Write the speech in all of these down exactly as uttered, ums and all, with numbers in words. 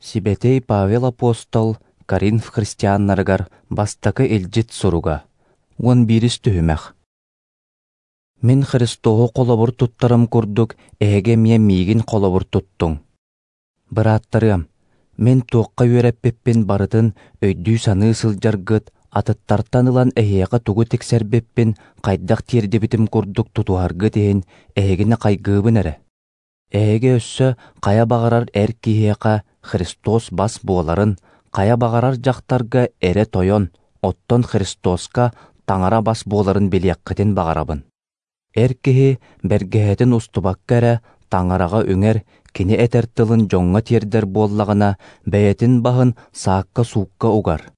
Сибэтиэй Павел апостол Коринф христианнарыгар бастакы илдьит суруга, уон биирис түһүмэх. Мин Христоһу холобур туттарым курдук, эһиги эмиэ миигин холобур туттуҥ. Бырааттарыам, мин туохха үөрэппиппин барытын өйдүү-саныы сылдьаргыт, атыттартан ылан эһиэхэ тугу тиксэрбиппин хайдах тиэрдибитим курдук тутуһаргыт иһин эһигини хайгыыбын эрэ. Эһиги өссө хайа баҕарар эр киһиэхэ Христос бас буоларын, хайа баҕарар дьахтарга эрэ тойон, оттон Христоска Таҥара бас буоларын билиэххитин баҕарабын. Эр киһи бэргэһэтин устубакка эрэ Таҥараҕа үҥэр, кини этэр тылын дьоҥҥо тиэрдэр буоллаҕына, бэйэтин баһын саакка-суукка угар.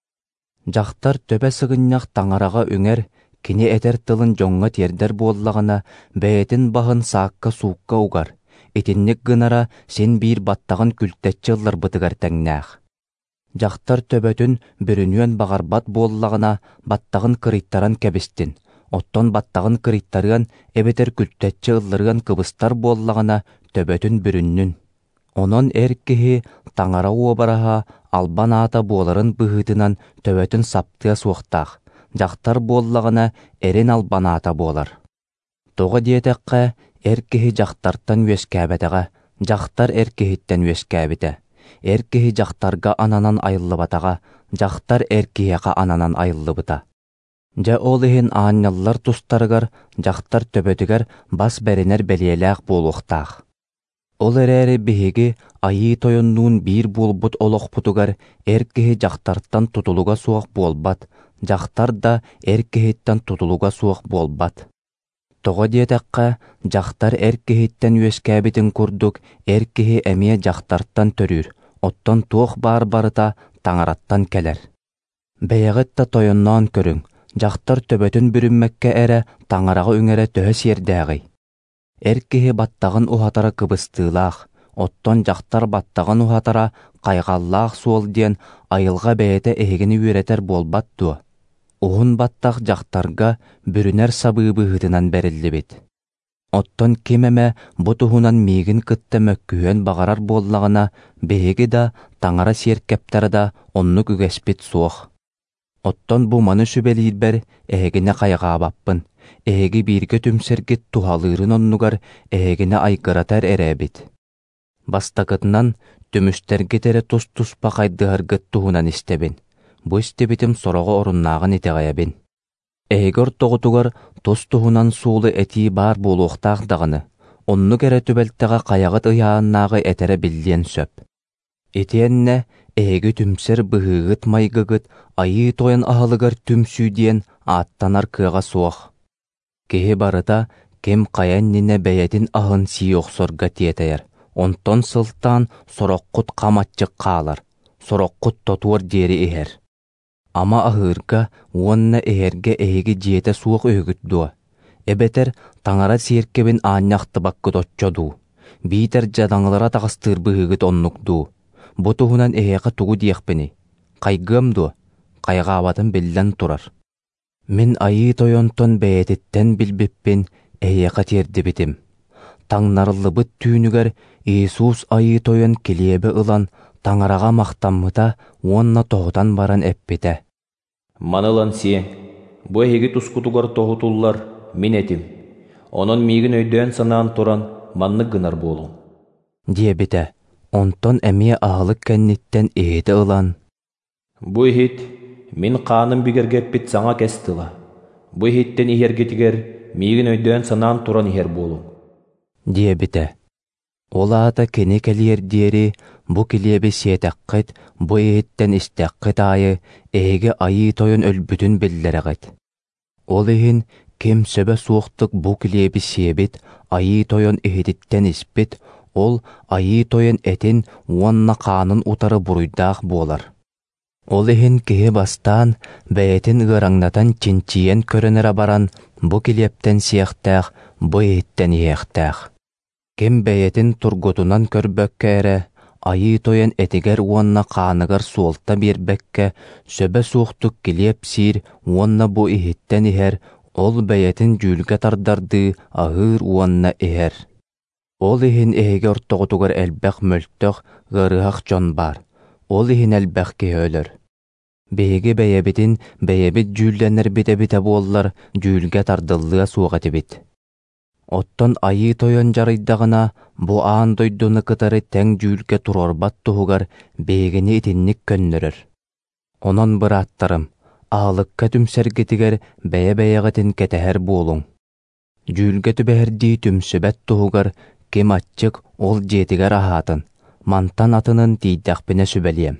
Дьахтар төбө сыгынньах Таҥараҕа үҥэр, кини этэр тылын дьоҥҥо тиэрдэр буоллаҕына, бэйэтин баһын саакка-суукка угар. Итинник гынара син биир баттаҕын күлтэччи ылларбытыгар тэҥнээх. Дьахтар төбөтүн бүрүнүөн баҕарбат буоллаҕына, баттаҕын кырыйтаран кэбистин, оттон баттаҕын кырыйтарыан эбэтэр күлтэччи ылларыан кыбыстар буоллаҕына, төбөтүн бүрүннүн. Онон эр киһи Таҥара уобараһа албан аата буоларын быһыытынан төбөтүн саптыа суохтаах, дьахтар буоллаҕына эрин албан аата буолар. Тоҕо диэтэххэ, эр киһи дьахтартан үөскээбэтэҕэ, дьахтар эр киһиттэн үөскээбитэ. Эр киһи дьахтарга ананан айыллыбатаҕа, дьахтар эр киһиэхэ ананан айыллыбыта. Дьэ ол иһин аанньаллар тустарыгар дьахтар төбөтүгэр бас бэринэр бэлиэлээх буолуохтаах. Ол эрээри биһиги Айыы Тойоннуун биир буолбут олохпутугар эр киһи дьахтартан тутулуга суох буолбат, дьахтар да эр киһиттэн тутулуга суох буолбат. Тоҕо диэтэххэ, дьахтар эр киһиттэн үөскээбитин курдук, эр киһи эмиэ дьахтартан төрүүр, оттон туох баар барыта Таҥараттан кэлэр. Бэйэҕит да тойонноон көрүҥ, дьахтар төбөтүн бүрүммэккэ эрэ Таҥараҕа үҥэрэ төһө сиэрдээҕий? Эр киһи баттаҕын уһатара кыбыстыылаах, оттон дьахтар баттаҕын уһатара хайҕаллаах суол диэн айылҕа бэйэтэ эһигини үөрэтэр буолбат дуо? Уһун баттах дьахтарга бүрүнэр сабыы быһыытынан бэриллибит. Оттон ким эмэ бу туһунан миигин кытта мөккүһүөн баҕарар буоллаҕына, биһиги да, Таҥара сиэркэптэрэ да оннук үгэспит суох. Оттон бу маны сүбэлиирбэр эһигини хайҕаабаппын, эһиги бииргэ түмсэргит туһалыырын оннугар эһигини айгыратар эрэ эбит. Бастакытынан, түмүстэргит эрэ тус-туспа хайдыһаргыт туһунан истэбин. Бу истибитим сороҕо оруннааҕын итэҕэйэбин. Эһиги ортоҕутугар тус-туһунан суолу этии баар буолуохтаах даҕаны, оннук эрэ түбэлтэҕэ хайаҕыт ыйааннааҕы этэрэ биллиэн сөп. Итиэннэ эһиги түмсэр быһыыгыт-майгыгыт Айыы Тойон аһылыгар түмсүү диэн ааттанар кыаҕа суох. Киһи барыта ким хайа иннинэ бэйэтин аһын сии охсорго тиэтэйэр, онтон сылтаан сороххут хам аччык хаалар, сороххут тотуор диэри иһэр. Ама аһыырга уонна иһэргэ эһиги дьиэтэ суох үһүгүт дуо? Эбэтэр Таҥара сиэркэбин аанньахтыбаккыт оччо дуу? Биитэр дьадаҥылара таҕыстыыр быһыыгыт оннук дуу? Бу туһунан эһиэхэ тугу диэхпиний? Хайгыам дуо? Хайҕаабатым биллэн турар. Мин Айыы Тойонтон бэйэтиттэн билбиппин эһиэхэ тиэрдибитим. Таҥнарыллыбыт түүнүгэр Иисус Айыы Тойон килиэби ылан Таҥараҕа махтаммыта уонна тоһутан баран эппитэ: «Маны ылан сиэҥ, бу эһиги тускутугар тоһутуллар мин этим, онон миигин өйдөөн-санаан туран маннык гынар буолуҥ» диэбитэ. Онтон эмиэ аһылык кэнниттэн иһити ылан: «Бу иһит мин хааным бигэргэппит саҥа кэс тыла, бу иһиттэн иһэргитигэр миигин өйдөөн-санаан туран иһэр буолуҥ» диэбитэ. Ол аата кини кэлиэр диэри бу килиэби сиэтэххит, бу иһиттэн истэххит аайы эһиги Айыы Тойон өлбүтүн биллэрэҕит. Ол иһин ким сөбө суохтук бу килиэби сиэбит, Айыы Тойон иһититтэн испит, ол Айыы Тойон этин уонна хаанын утары буруйдаах буолар. Ол иһин киһи бастаан бэйэтин ыараҥнатан чинчийэн көрөн эрэ баран, бу килиэптэн сиэхтээх, бу иһиттэн иһиэхтээх. Ким бэйэтин тургутунан көрбөккө эрэ, Айыы Тойон этигэр уонна хааныгар суолта биэрбэккэ, сөбө суохтук килиэп сиир уонна бу иһиттэн иһэр, ол бэйэтин дьүүлгэ тардардыы аһыыр уонна иһэр. Ол иһин эһиги ортоҕутугар элбэх мөлтөх, ыарыһах дьон баар, Ол иһин элбэх киһи өлөр. Биһиги бэйэбитин бэйэбит дьүүллэнэрбит эбитэ буоллар, дьүүлгэ тардыллыа суох этибит. Оттон Айыы Тойон дьарыйдаҕына, бу аан дойдуну кытары тэҥ дьүүлгэ туруорбат туһугар биһигини итинник көннөрөр. Онон, бырааттарым, аһылыкка түмсэргитигэр бэйэ-бэйэҕитин кэтэһэр буолуҥ. Дьүүлгэ түбэһэрдии түмсүбэт туһугар ким аччык, ол дьиэтигэр аһаатын, мантан атынын тиийдэхпинэ сүбэлиэм.